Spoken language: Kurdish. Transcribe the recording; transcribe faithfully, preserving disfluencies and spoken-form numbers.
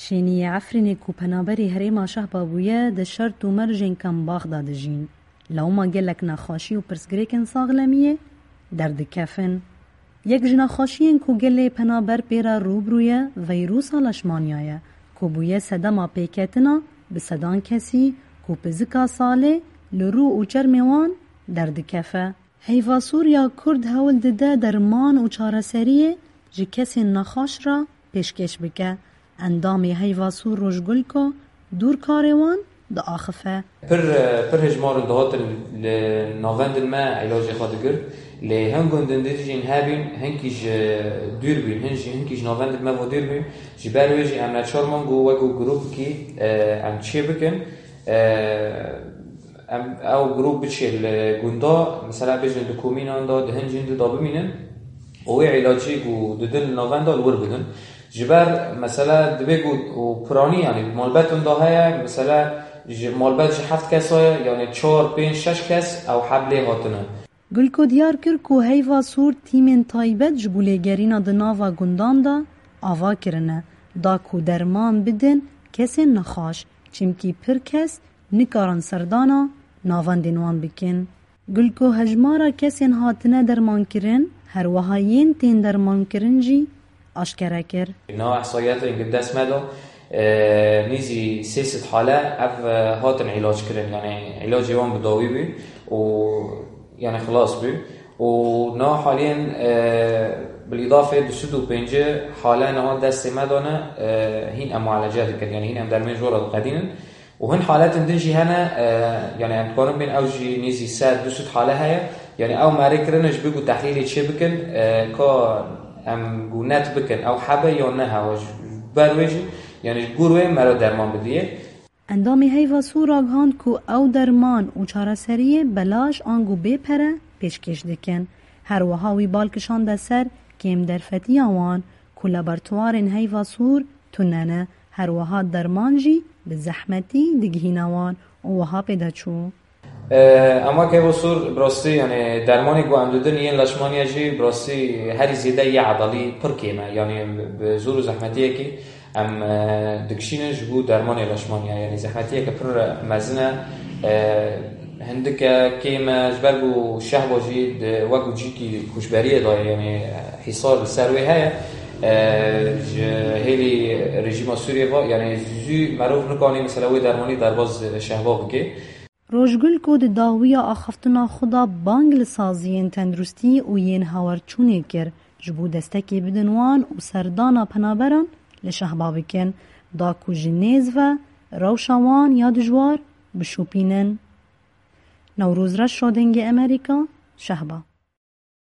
Şêniyê Efrînê ku penaberî herêma Şehba bûye, di şert û mercên kembax de dijîn. Lewma gelek nexweşî û pirsgirêkên saxlemiyê derdikevin. Yek ji nexweşiyên ku gelê penaber pê re rû bi rû ye, veyrûsa leşmaniya ye, ku bûye sedema pêketina bi sedan kesî ku pizika salê li rû û çermê wan derdikeve. Heyva Sûr ya Kurd hewl dide derman û çareseriyê ji kesên nexweş re pêşkêş bike. Endamê Heyva Sûr Rojgulko dûr karê wan diaxife. Pir, pir hejmar in dihatin li navendin me îlacê xwe digirt. Lê hin gundin din jî hebîn, hinkî ji dûr bûn, hin jî, hinkî ji navendin me ve dûr bûn. Ji ber wê jî em neçar man ku wek ku grûpekî, e, em çê bikin. E, em, ew grûp biçê li gunda, mesela bêjin di komînan de, di hin jîn de bimînin û wê îlacî ku didin li navenda li wir bidin. Ji ber mesela dibê ku û piranî, yanî malbetin de heye, mesela ji malbet ji heft kes heye, yanî çar, pênc, şeş kes ew heb lê hatine. Gulko diyar kir ku Heyva Sûr tîmên taybet ji bo lêgerîna di nava gundan de ava kirine, da ku derman bidin kesên nexweş, çimkî pir kes nikarin serdana navendên wan bikin. Gulko hejmara kesên hatine dermankirin, her wiha yên tên dermankirin jî aşkere kir. Niha ihsayiyatên ku dest me de, e, nîzî sê sed hale ev, e, hatin îlac kirin. Yanî îlacê wan bi dawî bû û, yanî, xilas bû. Û niha haliyên, e, bilîdafê du sed û pêncî hale niha destê me de ne, e, hîn em muelece dikin. Yanî hîn em dermên ji we re diqedînin. Û hin haletên din jî hene, e, yanî em dikarin bên ew jî nêzî sed, du sed hale heye. Yanî ew merê kirine ji bo ku tehlîlê çê bikin, e, ka em ku net bikin, ew hebe ya ne hewe. Ji ber wê jî, yanî ji gor wê mere derman bidiyê. Endamê Heyva Sûr ragihand ku ew derman û çareseriyê belaş ango bê pere pêşkêş dikin. Her wiha wî bal kişande ser kêm derfetiya wan ku laboratuwarên Heyva Sûr tune ne. Her wiha derman jî bi zehmetî digihîne wan û wiha pê de çû. Ee, ama Heyva Sûr, bi rastî, yani, dermanê ku em didin yên leşmaniye jî, bi rastî, herî zêde yê edalî pir kêm e. Yani, bi zor û zehmetiyekî em, e, dikişînin ji bo dermanê leşmaniye. Yani, zehmetiyeke pir mezin e. E, hindike kêm e, ji ber ku Şehba jî di, wek ku cîkî koçberiyê de ye, yani, hîsar li ser wê heye. E, ji hêlî rejîma Sûriyê ve, yani, zû merov nikane, mesela, wê dermanî derbas Şehba bike. Rojgul ku di dawiya axaftina xwe de bang li saziyên tenduristî û yên hawerçûnê kir, ji bo destekê bidin wan û serdana penaberan li Şehba bikin, da ku ji nêz ve rewşa wan ya dijwar bişopînin. Newroz Reşo, Dengê Emerîka, Şehba.